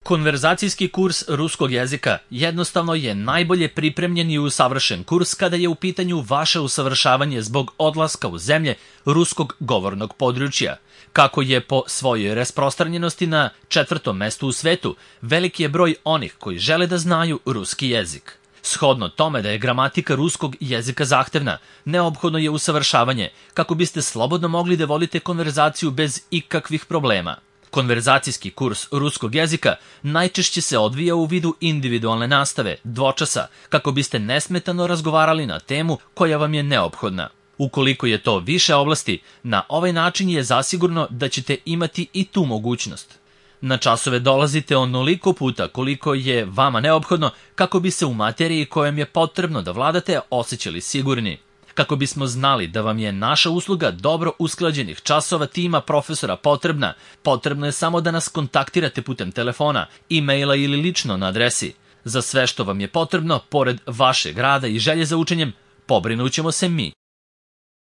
Konverzacijski kurs ruskog jezika jednostavno je najbolje pripremljen i usavršen kurs kada je u pitanju vaše usavršavanje zbog odlaska u zemlje ruskog govornog područja. Kako je po svojoj rasprostranjenosti na 4. mestu u svetu, veliki je broj onih koji žele da znaju ruski jezik. Shodno tome da je gramatika ruskog jezika zahtevna, neophodno je usavršavanje kako biste slobodno mogli da vodite konverzaciju bez ikakvih problema. Konverzacijski kurs ruskog jezika najčešće se odvija u vidu individualne nastave, dvočasa, kako biste nesmetano razgovarali na temu koja vam je neophodna. Ukoliko je to više oblasti, na ovaj način je zasigurno da ćete imati i tu mogućnost. Na časove dolazite onoliko puta koliko je vama neophodno kako bi se u materiji kojom je potrebno da vladate osjećali sigurni. Kako bismo znali da vam je naša usluga dobro usklađenih časova tima profesora potrebna, potrebno je samo da nas kontaktirate putem telefona, e-maila ili lično na adresi. Za sve što vam je potrebno, pored vašeg rada i želje za učenjem, pobrinućemo se mi.